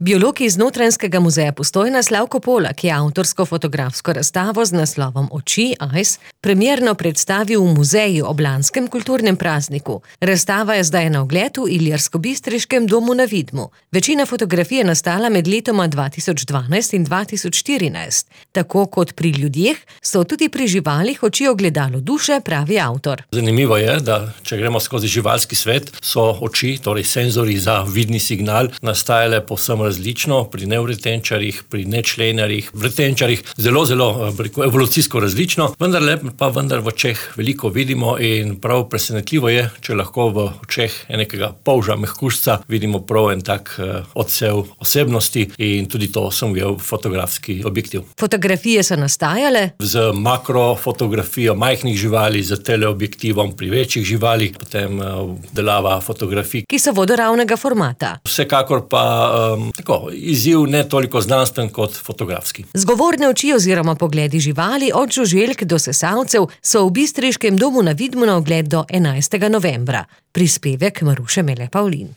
Biolog iz Notranjskega muzeja Postojna Slavko Polak je avtorsko fotografsko razstavo z naslovom Oči, Eyes, premierno predstavil v muzeju ob lanskem kulturnem prazniku. Razstava je zdaj na ogled v Ilirskobistriškem domu na Vidmu. Večina fotografij je nastala med letoma 2012 in 2014. Tako kot pri ljudeh, so tudi pri živalih oči ogledalo duše, pravi avtor. Zanimivo je, da če gremo skozi živalski svet, so oči, torej senzori za vidni signal, nastajale povsem različno pri nevretenčarjih, pri nečlenarjih, vretenčarjih, zelo evolucijsko različno, vendar v očeh veliko vidimo in prav presenetljivo je, če lahko v očeh nekega polža mehkužca vidimo prav en tak odsev osebnosti in tudi to sem ujel fotografski objektiv. Fotografije so nastajale z makrofotografijo majhnih živali, z teleobjektivom pri večjih živalih, potem obdelava fotografij, ki so vodoravnega formata. Vsekakor pa izziv ne toliko znanstven kot fotografski. Zgovorne oči oziroma pogledi živali od žuželk do sesalcev so v Bistriškem domu na Vidmu na ogled do 11. novembra. Prispevek Maruše Mele Pavlin.